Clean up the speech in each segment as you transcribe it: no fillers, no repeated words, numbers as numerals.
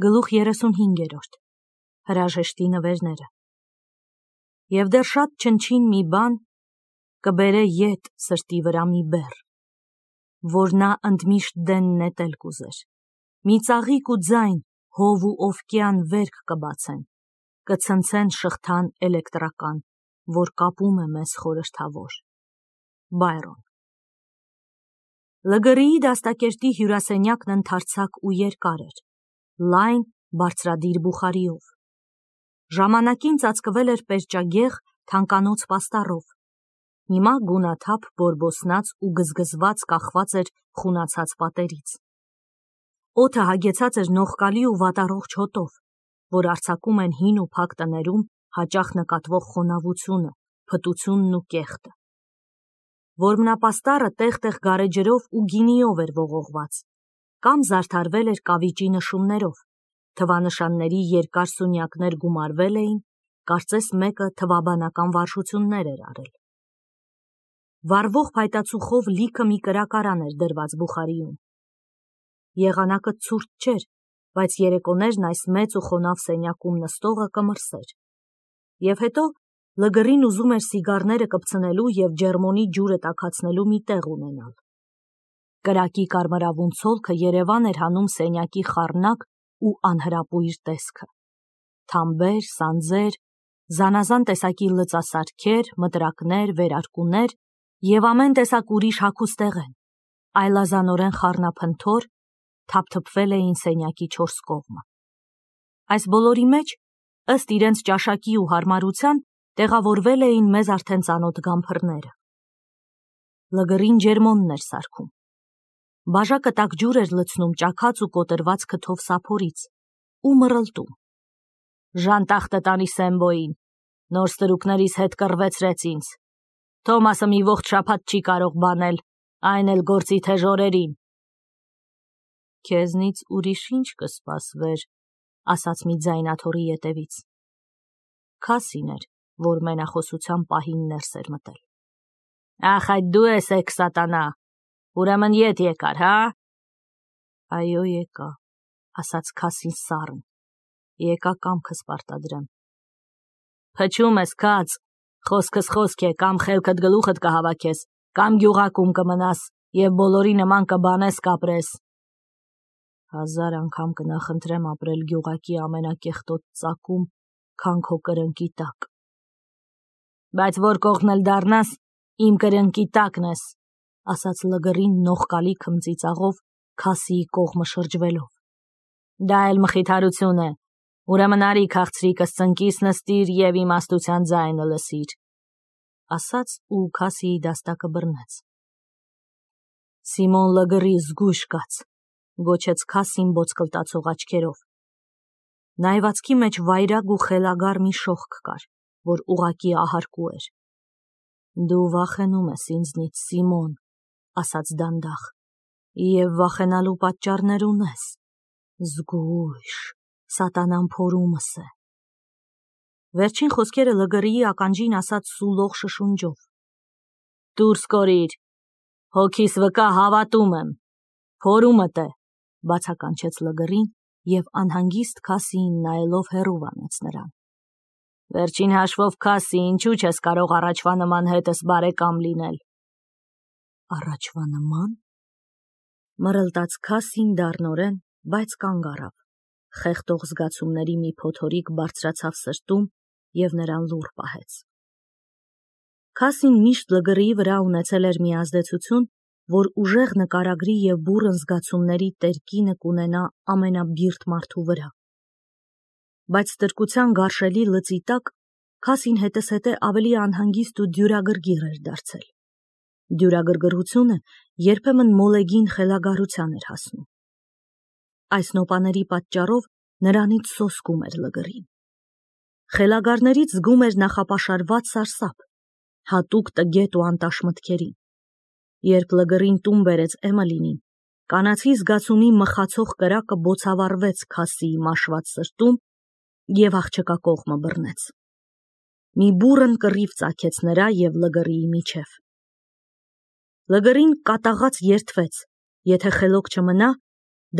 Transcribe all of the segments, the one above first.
Գլուխ 35 Հրաժեշտի նվերները Եվ դեռ շատ չնչին մի բան կբերե ետ սրտի վրա մի բեռ, որ նա ընդմիշտ դեն նետել կուզեր, մի ծաղիկ ու ձայն հով ու օվկյան վերք կբացեն, կցնցեն շղթան էլեկտրական, որ կապում է մեզ խորհրդավոր։ Բայրոն Լգրիի դաստակերտի հյուրասենյակն ընդարձակ ու երկար էր, լայն բարձրադիր բուխարիով։ Ժամանակին ծածկվել էր պերճագեղ թանկանոց պաստառով, հիմա գունաթափ բորբոսնած ու գզգզված կախված էր խունացած պատերից։ Օդը հագեցած էր նողկալի ու վատառողջ հոտով, որ արձակում են հին ու փակ տներում հաճախ նկատվող խոնավությունը, փտությունն ու կեղտը։ Որմնապաստառը տեղ-տեղ գարեջրով ու գինիով էր ողողված, կամ զարդարվել էր կավիճի նշումներով, թվանշանների երկար սունյակներ գումարվել էին, կարծես մեկը թվաբանական վարժություններ էր արել։ Վառվող փայտացուխով լիքը մի կրակարան էր դրված բուխարիում։ Եղանակը ցուրտ չէր, բայց երեկոներն այս մեծ ու խոնավ սենյակում նստողը կմրսեր։ Եվ հետո Լգրին ուզում էր սիգարները կպցնելու և ջերմոնի ջուրը տաքացնելու մի տեղ ունենալ։ Կրակի կարմրավուն ցոլքը երևան էր հանում սենյակի խառնակ ու անհրապույր տեսքը։ Թամբեր, սանձեր, զանազան տեսակի լծասարքեր, մտրակներ, վերարկուներ և ամեն տեսակ ուրիշ հագուստեղեն, այլազանորեն խառնափնթոր թափթփվել էին սենյակի չորս կողմը։ Այս բոլորի մեջ, ըստ իրենց ճաշակի ու հարմարության, տեղավորվել էին մեզ արդեն ծանոթ գամփրները։ Լգրին ջերմոնն էր սարքում։ Բաժակը տաք ջուր էր լցնում ճաքած ու կոտրված քթով սափորից ու մռլտում։ Ժանտախտը տանի Սեմբոյին, նոր ստրուկներիս հետ կռվեցրեց ինձ։ Թոմասը մի ողջ շաբաթ չի կարող բանել, այն էլ գործի թեժ օրերին։ Քեզնից ուրիշ ինչ կսպասվեր, ասաց մի ձայն աթոռի ետևից։ Քասին էր, որ մենախոսության պահին ներս էր մտել։ Ախ, այդ դու ես էք սատանա, ուրեմն ետ եկար, հա։ Այո, եկա, ասաց Քասին սառն, եկա կամքս պարտադրեմ։ Փչում ես, Քաց, խոսքս խոսք է, կամ խելքդ գլուխդ կհավաքես, կամ գյուղակում կմնաս և բոլորի նման կբանես կապրես։ 1000 անգամ կնախընտրեմ ապրել գյուղակի ամենակեղտոտ ծակում, քան քո կրնկի տակ։ Բայց որ կողմն էլ դառնաս, իմ կրնկի տակն ես, ասաց Լգրին նողկալի քմծիծաղով Քասիի կողմը շրջվելով։ Դա էլ մխիթարություն է, ուրեմն արի քաղցրիկս ծնկիս նստիր և իմաստության ձայնը լսիր, ասաց ու Քասիի դաստակը բռնեց։ Սիմոն Լգրի զգույշ կաց, գոչեց Քասին ոսկլտացող աչքերով։ Նայվածքի մեջ վայրագ ու խելագար մի շողք կար, որ ուղղակի ահարկու էր։ Դու վախենում ես ինձնից, Սիմոն, ասաց դանդաղ, և վախենալու պատճառներ ունես։ Զգույշ, սատանան փորումս է։ Վերջին խոսքերը Լգրիի ականջին ասաց սուլող շշունջով։ Դուրս կորիր, հոգիս վկա հավատում եմ, փորումդ է, բացականչեց Լգրին և անհանգիստ Քասիին նայելով հեռու վանեց նրան։ Վերջին հաշվով, Քասի, ինչու չես կարող առաջվա նման հետս բարեկամ լինել։ Առաջվա նման։ Մռլտաց Քասին դառնորեն, բայց կանգ առավ, խեղդող զգացումների մի փոթորիկ բարձրացավ սրտում և նրան լուռ պահեց։ Քասին միշտ Լգրիի վրա ունեցել էր մի ազդեցություն, որ ուժեղ նկարագրի և բուռն զգացումների տերկինը կունենա ամենաբիրտ մարդու վրա։ Բայց ստրկության գարշելի լծի տակ Քասին հետզհետե ավելի անհանգիստ ու դյուրագրգիռ էր դարձել։ Դյուրագրգռությունը երբեմն մոլեգին խելագարության էր հասնում։ Այս նոպաների պատճառով նրանից սոսկում էր Լգրին։ Խելագարներից զգում էր նախապաշարված սարսափ, հատուկ տգետ ու անտաշ մտքերին։ Երբ Լգրին տուն բերեց Էմելինին, կանացի զգացումի մխացող կրակը բոցավառվեց Քասիի մաշված սրտում և աղջկա կողմը բռնեց։ Մի բուռն կռիվ ծագեց նրա և Լգրիի միջև։ Լգրին կատաղած երդվեց, եթե խելոք չմնա,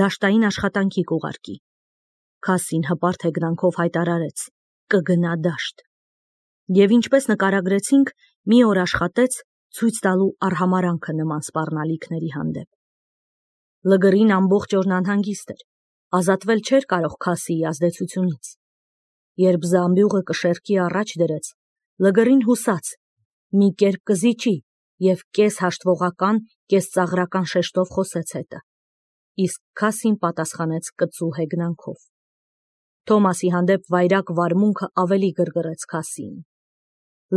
դաշտային աշխատանքի կուղարկի։ Քասին հպարտ հեգնանքով հայտարարեց. կգնա դաշտ։ Եվ ինչպես նկարագրեցինք, մի օր աշխատեց ցույց տալու արհամարանքը նման սպառնալիքների հանդեպ։ Լգրին ամբողջ օրն անհանգիստ էր, ազատվել չէր կարող Քասիի ազդեցությունից։ Երբ զամբյուղը կշեռքի առաջ դրեց, Լգրին հուսաց, մի կերպ կզիջի և կես հաշտվողական, կես ծաղրական շեշտով խոսեց հետը, իսկ Քասին պատասխանեց կծու հեգնանքով։ Թոմասի հանդեպ վայրագ վարմունքը ավելի գրգռեց Քասիին։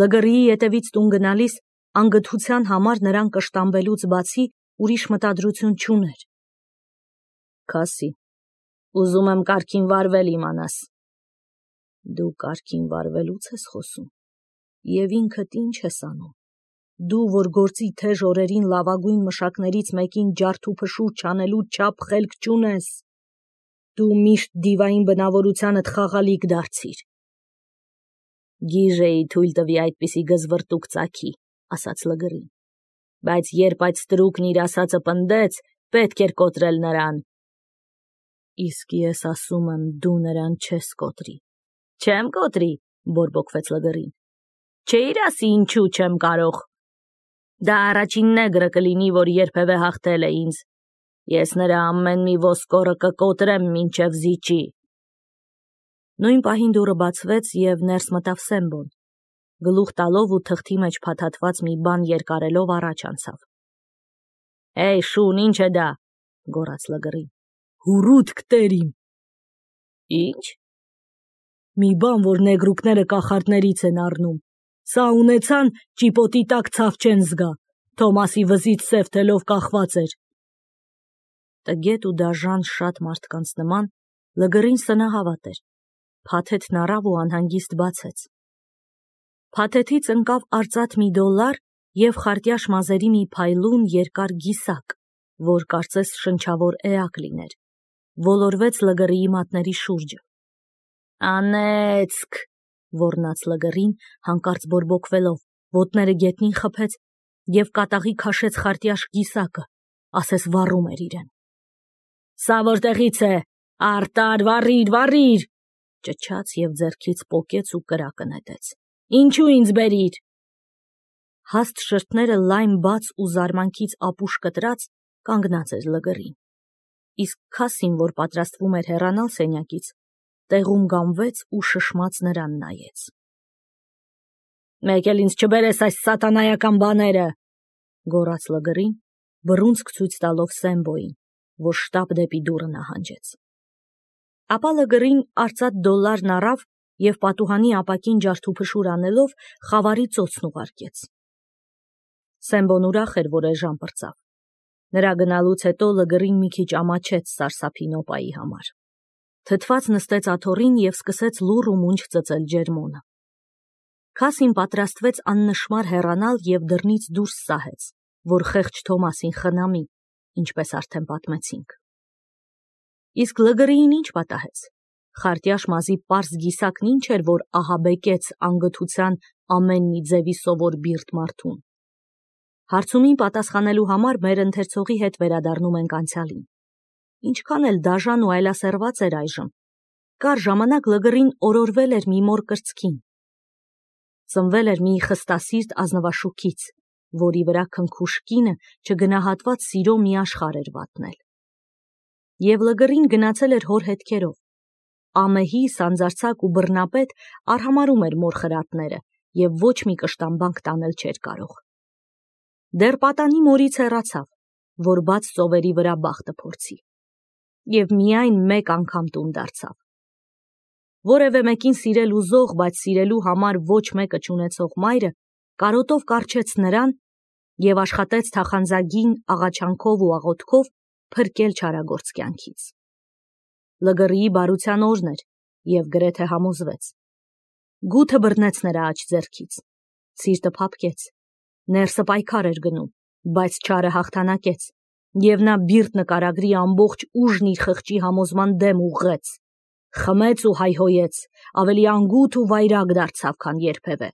Լգրիի ետևից տուն գնալիս անգթության համար նրան կշտամբելուց բացի ուրիշ մտադրություն չուներ։ Քասի, ուզում եմ կարգին վարվել իմանաս։ Դու կարգին վարվելուց ես խոսում, և ինքդ ինչ ես անում։ Դու, որ գործի թեժ օրերին լավագույն մշակներից մեկին ջարդ ու փշուր չանելու չափ խելք չունես։ Դու միշտ դիվային բնավորությանդ խաղալիք դարձիր։ Գիժեի թույլ տվի այդպիսի գզվռտուք ծագի, ասաց Լգրին, բայց երբ այդ ստրուկն իր ասածը պնդեց, պետք էր կոտրել նրան։ Իսկ ես ասում եմ, դու նրան չես կոտրի։ Չեմ կոտրի, բորբոքվեց Լգրին։ Չէիր ասի ինչու չեմ կարող։ Դա առաջին նեգրը կլինի, որ երբևէ հաղթել է ինձ։ Ես նրա ամեն մի ոսկորը կկոտրեմ մինչև զիջի։ Նույն պահին դուռը բացվեց և ներս մտավ Սեմբոն, գլուխ տալով ու թղթի մեջ փաթաթված մի բան երկարելով առաջ անցավ։ Էй, շուն, ինչ է դա, գոռաց Լգրին։ Հուռութք տերիմ։ Ինչ։ Մի բան, որ նեգրուկները կախարդներից են առնում։ Սա ունեցան, ճիպոտի տակ ցավ չեն զգա։ Թոմասի վզից սև թելով կախված էր։ Տգետ ու դաժան շատ մարդկանց նման Լգրին սնահավատ էր։ Փաթեթն առավ ու անհանգիստ բացեց։ Փաթեթից ընկավ արծաթ $1 և խարտյաշ մազերի մի փայլուն երկար գիսակ, որ կարծես շնչավոր էակ լիներ, ոլորվեց Լգրիի մատների շուրջը։ Անեծք, ոռնաց Լգրին, հանկարծ բորբոքվելով, ոտները գետնին խփեց և կատաղի քաշեց խարտյաշ գիսակը, ասես վառում էր իրեն։ Սա որտեղից է, արտար, վառիր, ճչաց և ձեռքից պոկեց ու կրակը նետեց։ Ինչու ինձ բերիր։ Հաստ շրթները լայն բաց ու զարմանքից ապուշ կտրած կանգնած էր Լգրին, իսկ Քասին, որ պատրաստվում էր հեռանալ սենյակից, տեղում գամվեց ու շշմած նրան նայեց։ Մեկ էլ ինձ չբերես այս սատանայական բաները, գոռաց Լգրին, բռունցք ցույց տալով Սեմբոյին, որ շտապ դեպի դուռը նահանջեց։ Ապա Լգրին արծաթ $1 առավ և պատուհանի ապակին ջարդուփշուր անելով խավարի ծոցն ուղարկեց։ Սեմբոն ուրախ էր, որ էժան պրծավ։ Նրա գնալուց հետո Լգրին մի քիչ ամաչեց սարսափի նոպայի համար։ Թթված նստեց աթոռին և սկսեց լուռ ու մունջ ծծել ջերմոնը։ Քասին պատրաստվեց աննշմար հեռանալ և դռնից դուրս սահեց, որ խեղճ Թոմասին խնամի, ինչպես արդեն պատմեցինք։ Իսկ Լգրիին ինչ պատահեց։ Խարտյաշ մազի պարզ գիսակն ինչ էր, որ ահաբեկեց անգթության ամեն մի ձևի սովոր բիրտ մարդուն։ Հարցումին պատասխանելու համար մեր ընթերցողի հետ վերադառնում ենք անցյալին։ Ինչքան էլ դաժան ու այլասերված էր այժմ, կար ժամանակ Լգրին օրորվել էր մի մոր կրծքին։ Ծնվել էր մի խստասիրտ ազնվաշուքից, որի վրա քնքուշ կինը չգնահատված սիրո մի աշխարհ էր վատնել։ Եվ Լգրին գնացել էր հոր հետքերով։ Ամեհի, սանձարձակ ու բռնապետ արհամարհում էր մոր խրատները և ոչ մի կշտամբանք տանել չէր կարող։ Դեռ պատանի մորից հեռացավ, որ բաց ծովերի վրա բախտը փորձի։ Եվ միայն մեկ անգամ տուն դարձավ։ Որևէ մեկին սիրել ուզող, բայց սիրելու համար ոչ մեկը չունեցող մայրը կարոտով կառչեց նրան և աշխատեց թախանձագին աղաչանքով ու աղոթքով փրկել չարագործ կյանքից։ Լգրիի բարության օրն էր և գրեթե համոզվեց։ Գութը բռնեց նրա աջ ձեռքից, սիրտը փափկեց, ներսը պայքար էր գնում, բայց չարը հաղթանակեց, և նա բիրտ նկարագրի ամբողջ ուժն իր խղճի համոզման դեմ ուղղեց, խմեց ու հայհոյեց, ավելի անգութ ու վայրագ դարձավ, քան երբևէ։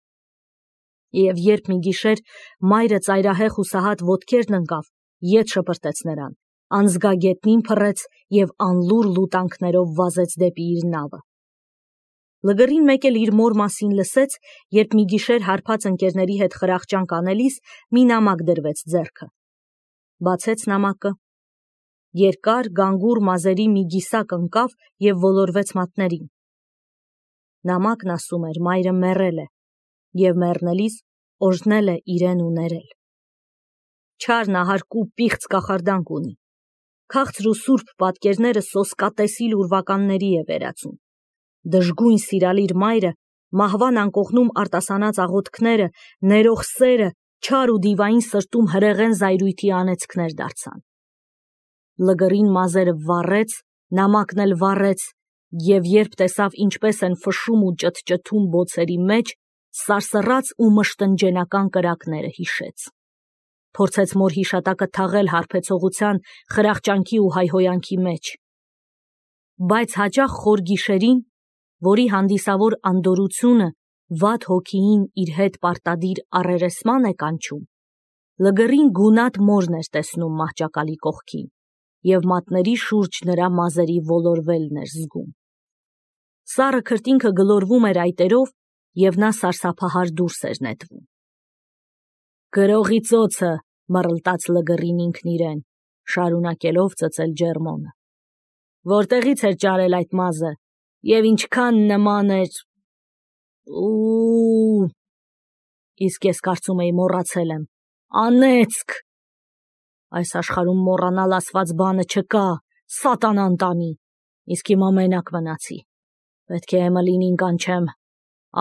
Եվ երբ մի գիշեր մայրը ծայրահեղ ու սահատ ոտքերն ընկավ, ետ շպրտեց նրան անզգագետնին փռեց և անլուր լուտանքներով վազեց դեպի իր նավը։ Լգրին մեկ էլ իր մոր մասին լսեց, երբ մի գիշեր հարբած ընկերների հետ խրախճանք անելիս մի նամակ դրվեց ձեռքը։ Բացեց նամակը։ Երկար, գանգուր մազերի մի գիսակ ընկավ և ոլորվեց մատներին։ Նամակն ասում էր մայրը մեռել է և մեռնելիս օրհնել է իրեն ու ներել։ Չար նահարկու պիղծ կախարդանք ունի։ Քաղցր ու սուրբ պատկերները սոսկատեսիլ ուրվականների է վերածում։ Դժգույն սիրալիր մայրը մահվան անկողնում արտասանած աղոթքները, ներող սերը, չար ու դիվային սրտում հրեղեն զայրույթի անեծքներ դարձան։ Լգրին մազերը վառեց, նամակն էլ վառեց, և երբ տեսավ ինչպես են ֆշում ու ճթճթում բոցերի մեջ, սարսռաց ու մշտնջենական կրակները հիշեց։ Փորձեց մոր հիշատակը թաղել հարբեցողության, խրախճանքի ու հայհոյանքի մեջ։ Բայց հաճախ խոր գիշերին, որի հանդիսավոր անդորությունը վատ հոգիին իր հետ պարտադիր առերեսման է կանչում, լգրին գունատ մորն էր տեսնում մահճակալի կողքին և մատների շուրջ նրա մազերի ոլորվելն էր զգում։ Սառը քրտինքը գլորվում էր այտերով և նա սարսափահար դուրս էր նետվում։ Գրողի ծոցը, մռլտաց լգրին ինքն իրեն, շարունակելով ծծել ջերմոնը։ Որտեղից էր ճարել այդ մազը և ինչքան նման էր… Իսկ ես կարծում էի մոռացել եմ… Անեծք… Այս աշխարհում մոռանալ ասված բանը չկա, սատանան տանի, իսկ հիմա մենակ մնացի։ Պետք է Էմելինին կանչեմ,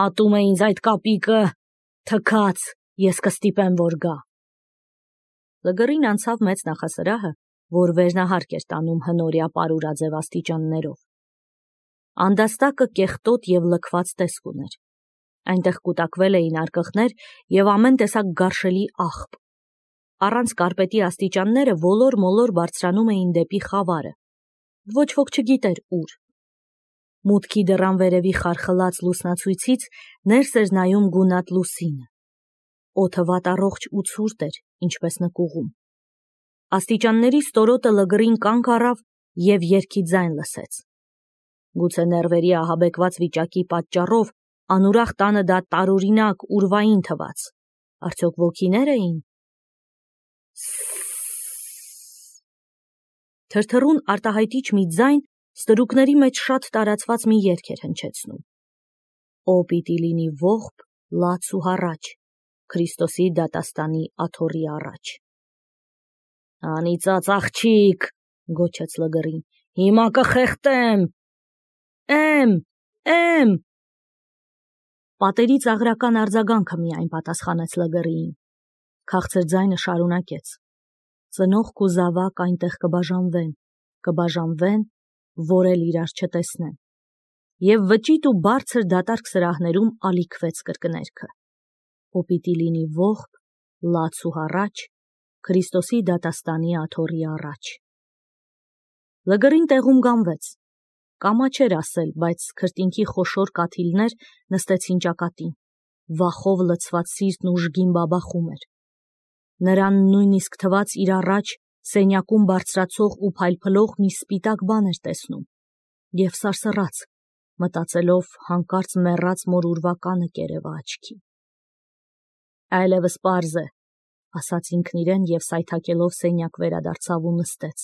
ատում է ինձ այդ կապիկը, թքած, ես կստիպեմ, որ գա։ Լգրին անցավ մեծ նախասրահը, որ վերնահարկ էր տանում հնորյա պարուրաձև աստիճաններով։ Անդաստակը կեղտոտ և լքված տեսք ուներ։ Այնտեղ կուտակվել էին արկղներ և ամեն տեսակ գարշելի աղբ։ Առանց կարպետի աստիճանները ոլոր-մոլոր բարձրանում էին դեպի խավարը։ Ոչ ոք չգիտեր ուր։ Մուտքի դռան վերևի խարխլած լուսնացույցից ներս էր նայում գունատ լուսինը։ Օդը վատառողջ ու ցուրտ էր, ինչպես նկուղում։ Աստիճանների ստորոտը լգրին կանգ առավ և երգի ձայն լսեց։ Գուցե նեռվերի ահաբեկված վիճակի պատճառով անուրախ տանը դա տարօրինակ, ուրվային թվաց։ Արդյոք ոգիներ էին։ Թրթռուն արտահայտիչ մի ձայն ստրուկների մեջ շատ տարածված մի երգ էր հնչեցնում։ Ո պիտի լինի ողբ, լաց ու հառաչ, Քրիստոսի դատաստանի աթոռի առաջ։ Անիծած աղջիկ, գոչեց լգրին, հիմա կխեղդեմ։ Եմ։ Պատերից աղրական արձագանքը միայն պատասխանեց լգրիին։ Քաղցր ձայնը շարունակեց. ծնողք ու զավակ այնտեղ կբաժանվեն, որ էլ իրար չտեսնեն։ Եվ վճիտ ու բարձր դատարկ սրահներում ալիքվեց կրկներքը. Ո պիտի լինի ողբ, լաց ու հառաչ, Քրիստոսի դատաստանի աթոռի առաջ։ Լգրին տեղում գանվեց։ Կամա չէր ասել, բայց քրտինքի խոշոր կաթիլներ նստեցին ճակատին, վախով լցված սիրտն ուժգին բաբախում էր։ Նրան նույնիսկ թվաց իր առաջ սենյակում բարձրացող ու փայլփլող մի սպիտակ բան էր տեսնում, և սարսռաց, մտածելով հանկարծ մեռած մոր ուրվականը կերևա աչքի։ Այլևս պարզ է, ասաց ինքն իրեն և սայթաքելով սենյակ վերադարձավ ու նստեց։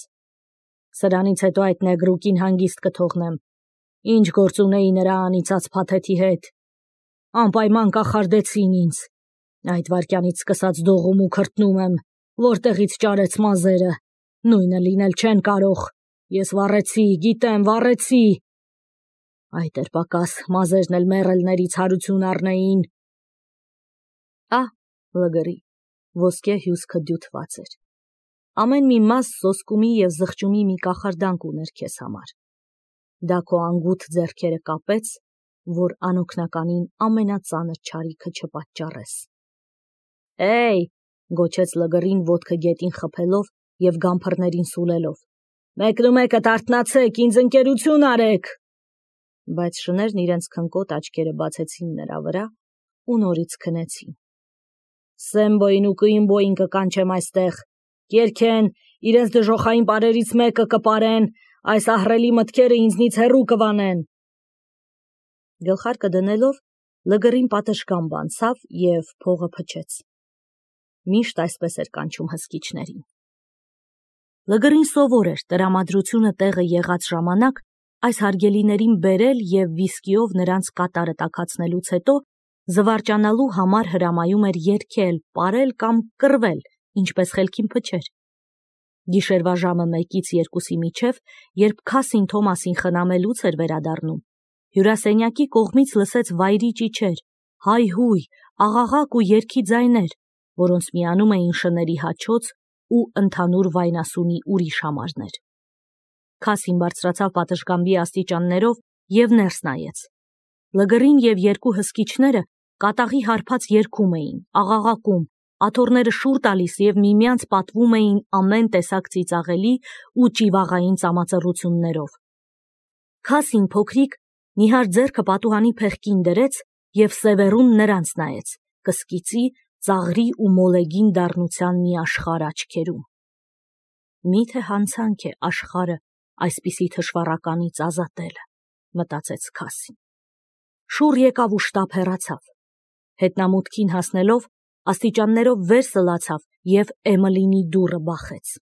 Սրանից հետո այդ նեգրուկին հանգիստ կթողնեմ։ Ինչ գործ ունեի նրա անիծած փաթեթի հետ։ Անպայման կախարդեցին ինձ։ Այդ վայրկյանից սկսած դողում ու քրտնում եմ, որտեղից ճարեց մազերը։ Նույնը լինել չեն կարող։ Ես վառեցի, գիտեմ, վառեցի։ Այդ էր պակաս, մազերն էլ մեռելներից հարություն առնեին։ Լգրի, ոսկե հյուսքը դյութված էր։ Ամեն մի մազ սոսկումի և զղջումի մի կախարդանք ուներ քեզ համար։ Դա քո անգութ ձեռքերը կապեց, որ անօգնականին ամենածանր չարիքը չպատճառես։ Գոչեց լգրին ոտքը գետին խփելով և գամփռներին սուլելով։ Մեկնումեկդ արթնացեք, ինձ ընկերություն արեք։ Բայց շներն իրենց քնկոտ աչքերը բացեցին նրա վրա ու նորից քնեցին։ Սեմբոյին ու Կուիմբոյին կկանչեմ այստեղ, կերքեն իրենց դժոխային բարերից մեկը կպարեն, այս ահռելի մտքերը ինձնից հեռու կվանեն։ Գլխարկը դնելով, լգրին պատշգամբ անցավ և փողը փչեց։ Միշտ այսպես էր կանչում հսկիչներին։ Լգրին սովոր էր տրամադրությունը տեղը եղած ժամանակ այս հարգելիներին բերել և վիսկիով նրանց կատարը տաքացնելուց հետո զվարճանալու համար հրամայում էր երգել, պարել կամ կռվել, ինչպես խելքին փչեր։ Գիշերվա ժամը 1-2-ի միջև, երբ Քասին Թոմասին խնամելուց էր վերադառնում, հյուրասենյակի կողմից լսեց վայրի ճիչեր, հայհույ, աղաղակ ու երգի ձայներ, որոնց միանում էին շների հաչոց ու ընդհանուր վայնասունի ուրիշ համարներ։ Քասին բարձրացավ պատշգամբի աստիճաններով և ներս նայեց։ Լգրին և երկու հսկիչները կատաղի հարբած երգում էին, աղաղակում, աթոռները շուռ տալիս և միմյանց պատվում էին ամեն տեսակ ծիծաղելի ու ճիվաղային ծամածռություններով։ Քասին փոքրիկ նիհար ձեռքը պատուհանի փեղկին դրեց և սևեռուն նրանց նայեց, կսկիծի, ծաղրի ու մոլեգին դառնության մի աշխարհ աչքերում։ Միթե հանցանք է աշխարհը այսպիսի թշվառականից ազատելը, մտածեց Քասին։ Շուռ եկավ ու շտապ հեռացավ։ Հետնամուտքին հասնելով, աստիճաններով վեր սլացավ և Էմիլինի դուռը բախեց։